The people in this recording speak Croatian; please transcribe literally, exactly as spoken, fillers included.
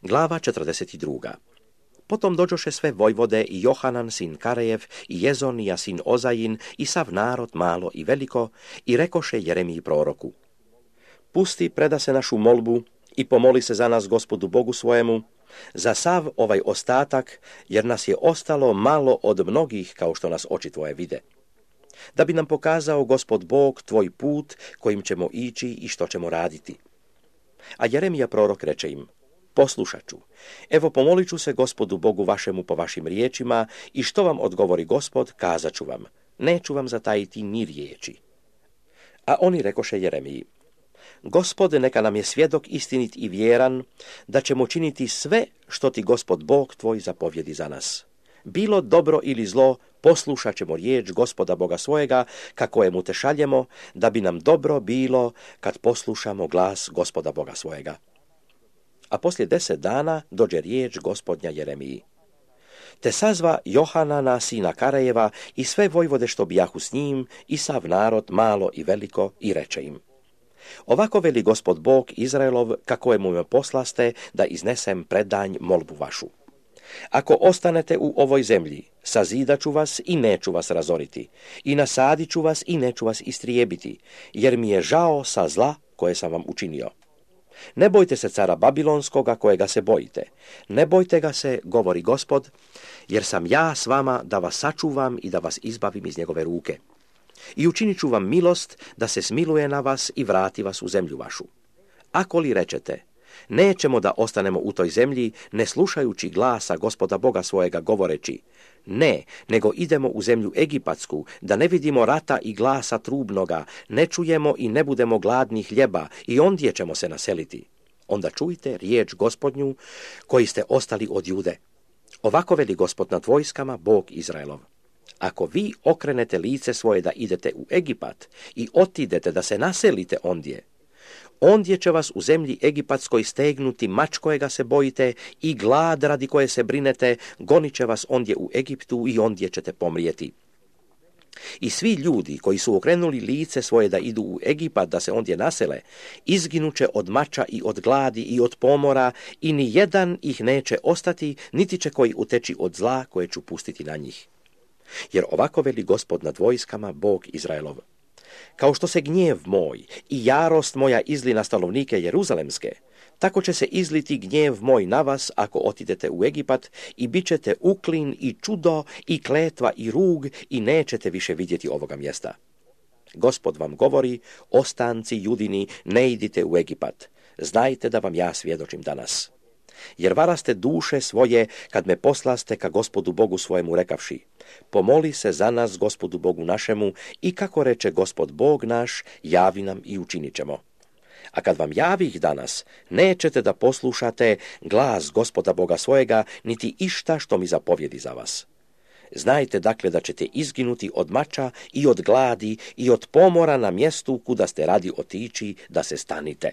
Glava četrdeset druga. Potom dođoše sve vojvode i Johanan sin Karejev i Jezonija sin Ozajin i sav narod malo i veliko i rekoše Jeremiji proroku: Pusti, preda se našu molbu i pomoli se za nas Gospodu Bogu svojemu, za sav ovaj ostatak, jer nas je ostalo malo od mnogih kao što nas oči tvoje vide. Da bi nam pokazao Gospod Bog tvoj put kojim ćemo ići i što ćemo raditi. A Jeremija prorok reče im: Poslušat ću. Evo pomolit ću se Gospodu Bogu vašemu po vašim riječima i što vam odgovori Gospod, kazat ću vam. Neću vam zatajiti ni riječi. A oni rekoše Jeremiji: Gospod neka nam je svjedok istinit i vjeran, da ćemo činiti sve što ti Gospod Bog tvoj zapovjedi za nas. Bilo dobro ili zlo, poslušat ćemo riječ Gospoda Boga svojega, kako je mu te šaljemo, da bi nam dobro bilo kad poslušamo glas Gospoda Boga svojega. A poslije deset dana dođe riječ Gospodnja Jeremiji. Te sazva Johanana sina Karejeva i sve vojvode što bijahu s njim i sav narod malo i veliko i reče im: Ovako veli Gospod Bog Izraelov, kako je mu me poslaste da iznesem predanj molbu vašu. Ako ostanete u ovoj zemlji, sazidat ću vas i neću vas razoriti, i nasadit ću vas i neću vas istrijebiti, jer mi je žao sa zla koje sam vam učinio. Ne bojte se cara Babilonskoga kojega se bojite. Ne bojte ga se, govori Gospod, jer sam ja s vama da vas sačuvam i da vas izbavim iz njegove ruke. I učinit ću vam milost da se smiluje na vas i vrati vas u zemlju vašu. Ako li rečete: Nećemo da ostanemo u toj zemlji, ne slušajući glasa Gospoda Boga svojega govoreći: Ne, nego idemo u zemlju Egipatsku, da ne vidimo rata i glasa trubnoga, ne čujemo i ne budemo gladni hljeba i ondje ćemo se naseliti. Onda čujte riječ Gospodnju koji ste ostali od Jude. Ovako veli Gospod nad vojskama, Bog Izraelov: Ako vi okrenete lice svoje da idete u Egipat i otidete da se naselite ondje, ondje će vas u zemlji Egipatskoj stegnuti mač kojega se bojite i glad radi koje se brinete, gonit će vas ondje u Egiptu i ondje ćete pomrijeti. I svi ljudi koji su okrenuli lice svoje da idu u Egipat da se ondje nasele, izginuće od mača i od gladi i od pomora i ni jedan ih neće ostati, niti će koji uteći od zla koje ću pustiti na njih. Jer ovako veli Gospod nad vojskama, Bog Izraelov: Kao što se gnjev moj i jarost moja izli na stanovnike Jeruzalemske, tako će se izliti gnjev moj na vas ako otidete u Egipat i bit ćete uklin i čudo i kletva i rug i nećete više vidjeti ovoga mjesta. Gospod vam govori: Ostanci Judini, ne idite u Egipat. Znajte da vam ja svjedočim danas. Jer varaste duše svoje kad me poslaste ka Gospodu Bogu svojemu rekavši: Pomoli se za nas Gospodu Bogu našemu i kako reče Gospod Bog naš, javi nam i učinit ćemo. A kad vam javih danas, nećete da poslušate glas Gospoda Boga svojega, niti išta što mi zapovjedi za vas. Znajte dakle da ćete izginuti od mača i od gladi i od pomora na mjestu kuda ste radi otići da se stanite.